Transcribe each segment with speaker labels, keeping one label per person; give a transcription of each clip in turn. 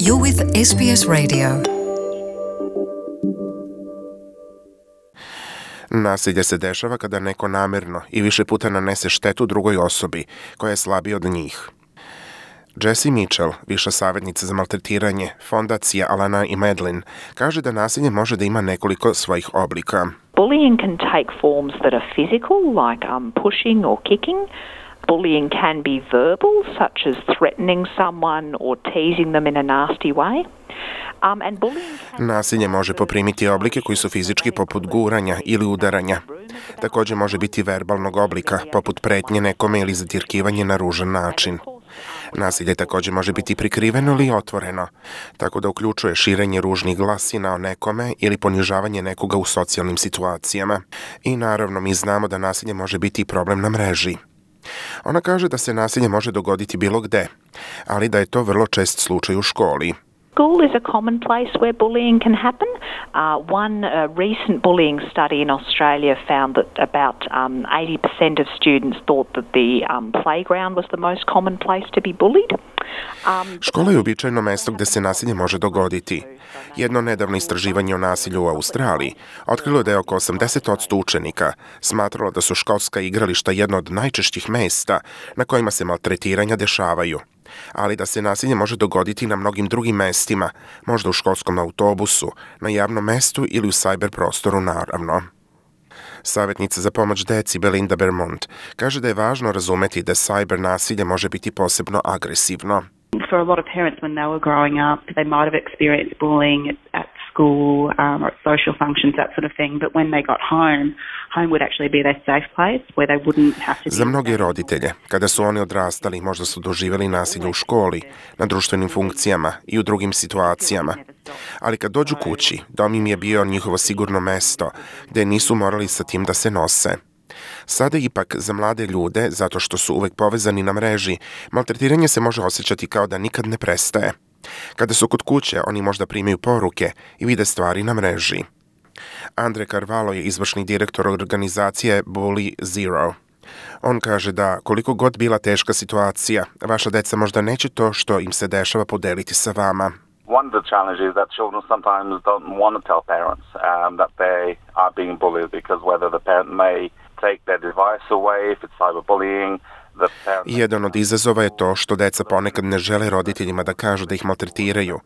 Speaker 1: You're with SBS Radio.
Speaker 2: Nasilje se dešava kada neko namjerno i više puta nanese štetu drugoj osobi koja je slabija od njih. Jessie Mitchell, viša savjetnica za maltretiranje, fondacija Alana i Madeline, kaže da nasilje može da ima nekoliko svojih oblika.
Speaker 3: Bullying can take forms that are physical, like pushing or kicking. Bullying can be verbal, such as threatening someone or teasing them in a nasty way.
Speaker 2: Nasilje može poprimiti oblike koji su fizički poput guranja ili udaranja. Također može biti verbalnog oblika, poput pretnje nekome ili zatirkivanje na ružan način. Nasilje također može biti prikriveno ili otvoreno, tako da uključuje širenje ružnih glasina o nekome ili ponižavanje nekoga u socijalnim situacijama. I naravno, mi znamo da nasilje može biti problem na mreži. Ona kaže da se nasilje može dogoditi bilo gde, ali da je to vrlo čest slučaj u školi.
Speaker 3: School is a common place where bullying can happen. One recent bullying study in Australia found that about 80% of students thought that the playground was the most common place to be bullied.
Speaker 2: Škola je uobičajeno mesto gde se nasilje može dogoditi. Jedno nedavno istraživanje o nasilju u Australiji otkrilo je da je oko 80% učenika smatralo da su školska igrališta jedno od najčešćih mesta na kojima se maltretiranja dešavaju, ali da se nasilje može dogoditi na mnogim drugim mestima, možda u školskom autobusu, na javnom mestu ili u cyber prostoru naravno. Savjetnica za pomoć deci Belinda Bermond kaže da je važno razumeti da cyber nasilje može biti posebno agresivno.
Speaker 4: For a lot of parents, when they were growing up, they might have experienced bullying at school or at social functions, that sort of thing. But when they got home, home would actually be their safe place where they wouldn't have to...
Speaker 2: Za mnoge roditelje, kada su oni odrastali, možda su doživjeli nasilje u školi, na društvenim funkcijama i u drugim situacijama. Ali kad dođu kući, dom im je bio njihovo sigurno mesto, gdje nisu morali sa tim da se nose. Sada ipak za mlade ljude, zato što su uvek povezani na mreži, maltretiranje se može osjećati kao da nikad ne prestaje. Kada su kod kuće, oni možda primaju poruke i vide stvari na mreži. Andre Carvalho je izvršni direktor organizacije Bully Zero. On kaže da koliko god bila teška situacija, vaša deca možda neće to što im se dešava podeliti sa vama.
Speaker 5: One of the challenges is that children sometimes don't want to tell parents that they are being bullied because whether the parent may take their device away if it's cyberbullying.
Speaker 2: Jedan od izazova je to što deca ponekad ne žele roditeljima da kažu da ih maltretiraju,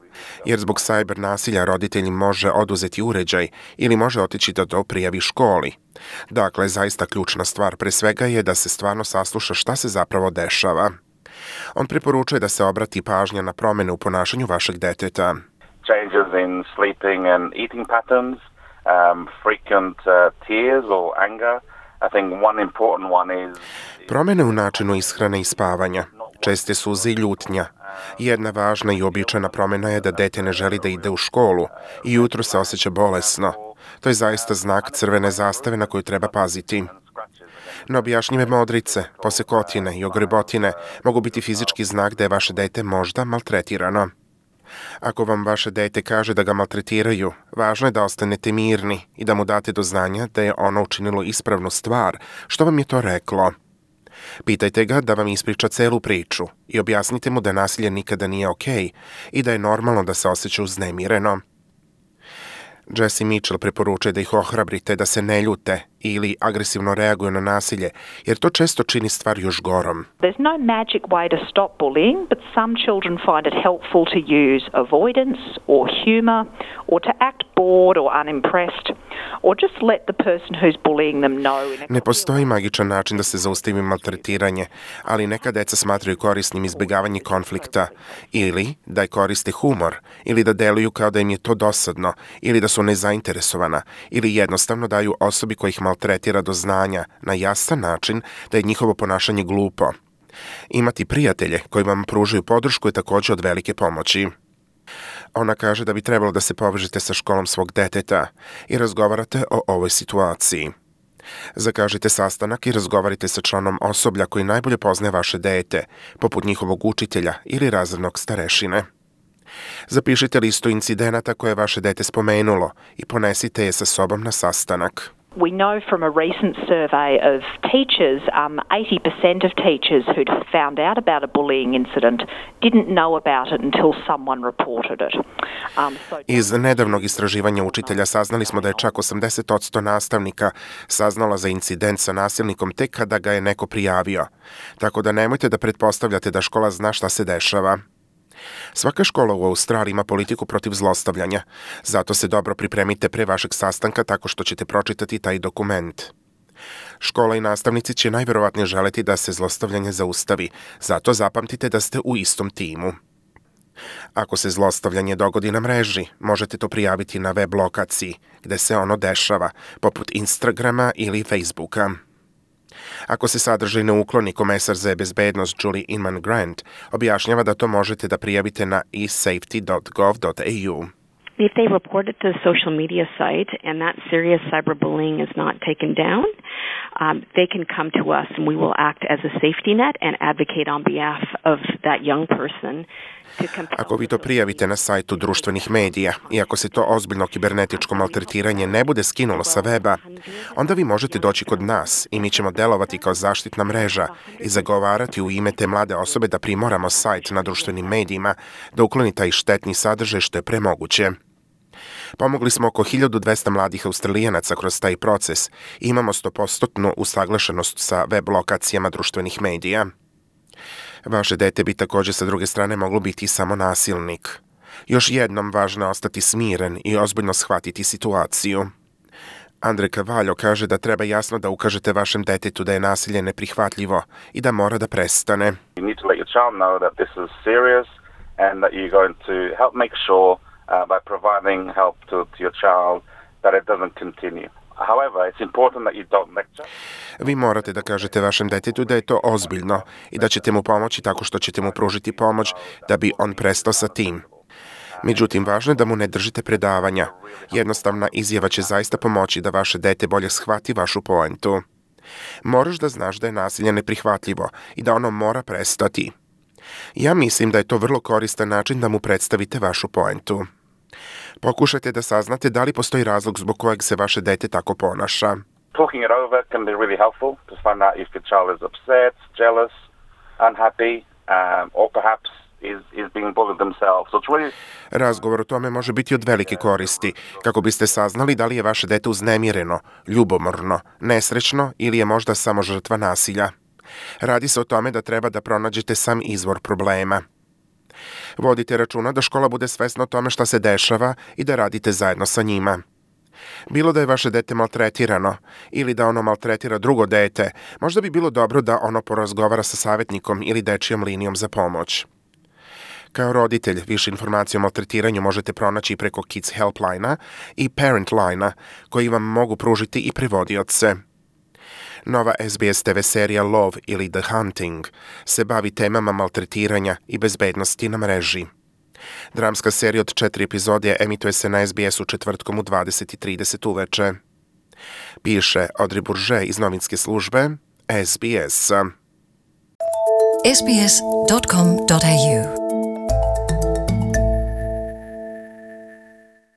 Speaker 2: jer zbog cyber nasilja roditelj može oduzeti uređaj ili može otići da to prijavi školi. Dakle, zaista ključna stvar pre svega je da se stvarno sasluša šta se zapravo dešava. On preporučuje da se obrati pažnja na promjene u ponašanju vašeg deteta.
Speaker 5: Changes in sleeping and eating patterns, frequent tears or anger. I think one important one is...
Speaker 2: Promjene u načinu ishrane i spavanja, česte suze i ljutnja. Jedna važna i običajna promjena je da dete ne želi da ide u školu i jutro se osjeća bolesno. To je zaista znak crvene zastave na koju treba paziti. Neobjašnjive modrice, posekotine i ogrebotine mogu biti fizički znak da je vaše dete možda maltretirano. Ako vam vaše dete kaže da ga maltretiraju, važno je da ostanete mirni i da mu date do znanja da je ono učinilo ispravnu stvar, što vam je to reklo. Pitajte ga da vam ispriča celu priču i objasnite mu da nasilje nikada nije okej i da je normalno da se osjeća uznemireno. Jessie Mitchell preporučuje da ih ohrabrite da se ne ljute ili agresivno reaguju na nasilje, jer to često čini stvar još gorom.
Speaker 3: There's no magic way to stop bullying, but some children find it helpful to use avoidance or humor or to act bored or unimpressed or just let the person who's bullying them know.
Speaker 2: Ne postoji magičan način da se zaustavi maltretiranje, ali neka deca smatraju korisnim izbjegavanje konflikta ili da koriste humor ili da deluju kao da im je to dosadno ili da su nezainteresovana ili jednostavno daju osobi koja ih maltretira do znanja na jasan način da je njihovo ponašanje glupo. Imati prijatelje koji vam pružaju podršku je također od velike pomoći. Ona kaže da bi trebalo da se povežete sa školom svog deteta i razgovarate o ovoj situaciji. Zakažite sastanak i razgovarite sa članom osoblja koji najbolje poznaje vaše dete, poput njihovog učitelja ili razrednog starešine. Zapišite listu incidenata koje je vaše dete spomenulo i ponesite je sa sobom na sastanak.
Speaker 3: We know from a recent survey of teachers, 80% of teachers who'd found out about a bullying incident didn't know about it until someone reported it.
Speaker 2: Iz nedavnog istraživanja učitelja saznali smo da je čak 80% nastavnika saznalo za incident sa nasilnikom tek kada ga je neko prijavio. Tako da nemojte da pretpostavljate da škola zna šta se dešava. Svaka škola u Australiji ima politiku protiv zlostavljanja, zato se dobro pripremite pre vašeg sastanka tako što ćete pročitati taj dokument. Škola i nastavnici će najverovatnije želeti da se zlostavljanje zaustavi, zato zapamtite da ste u istom timu. Ako se zlostavljanje dogodi na mreži, možete to prijaviti na web lokaciji gde se ono dešava, poput Instagrama ili Facebooka. Ako se sadržaj ne ukloni, komesar za bezbednost Julie Inman Grant objašnjava da to možete da prijavite na esafety.gov.au.
Speaker 6: If they report it to the social media site and that serious cyberbullying is not taken down, they can come to us and we will act as a safety net and advocate on behalf of that young person.
Speaker 2: Ako vi to prijavite na sajtu društvenih medija i ako se to ozbiljno kibernetičko maltretiranje ne bude skinulo sa weba, onda vi možete doći kod nas i mi ćemo delovati kao zaštitna mreža i zagovarati u ime te mlade osobe da primoramo sajt na društvenim medijima da ukloni taj štetni sadržaj što je premoguće. Pomogli smo oko 1200 mladih Australijanaca kroz taj proces i imamo 100% usaglašenost sa web lokacijama društvenih medija. Vaše dete bi također sa druge strane moglo biti samo nasilnik. Još jednom važno je ostati smiren i ozbiljno shvatiti situaciju. Andre Cavallo kaže da treba jasno da ukažete vašem detetu da je nasilje neprihvatljivo i da mora da prestane.
Speaker 5: You need to let your child know that this is serious and that you're going to help make sure by providing help to your child that it doesn't continue. However, it's important that you don't lecture.
Speaker 2: Vi morate da kažete vašem detetu da je to ozbiljno i da ćete mu pomoći tako što ćete mu pružiti pomoć da bi on prestao sa tim. Međutim, važno je da mu ne držite predavanja. Jednostavna izjava će zaista pomoći da vaše dete bolje shvati vašu poentu. Moraš da znaš da je nasilje neprihvatljivo i da ono mora prestati. Ja mislim da je to vrlo koristan način da mu predstavite vašu poentu. Pokušajte da saznate da li postoji razlog zbog kojeg se vaše dete tako ponaša.
Speaker 5: Talking it over can be really helpful to find out if your child is upset, jealous, unhappy, or perhaps is being bullied themselves. So it's really...
Speaker 2: Razgovor o tome može biti od velike koristi, kako biste saznali da li je vaše dete uznemireno, ljubomorno, nesrećno ili je možda samo žrtva nasilja. Radi se o tome da treba da pronađete sam izvor problema. Vodite računa da škola bude svesna o tome šta se dešava i da radite zajedno sa njima. Bilo da je vaše dete maltretirano ili da ono maltretira drugo dete, možda bi bilo dobro da ono porazgovara sa savjetnikom ili dečijom linijom za pomoć. Kao roditelj, više informacije o maltretiranju možete pronaći preko Kids Helpline-a i Parent Line-a, koji vam mogu pružiti i prevodioce. Nova SBS TV serija Love ili The Hunting se bavi temama maltretiranja i bezbednosti na mreži. Dramska serija od 4 epizode emituje se na SBS-u četvrtkom u 20:30 uveče. Piše Audrey Bourget iz novinske službe SBS.
Speaker 1: sbs.com.au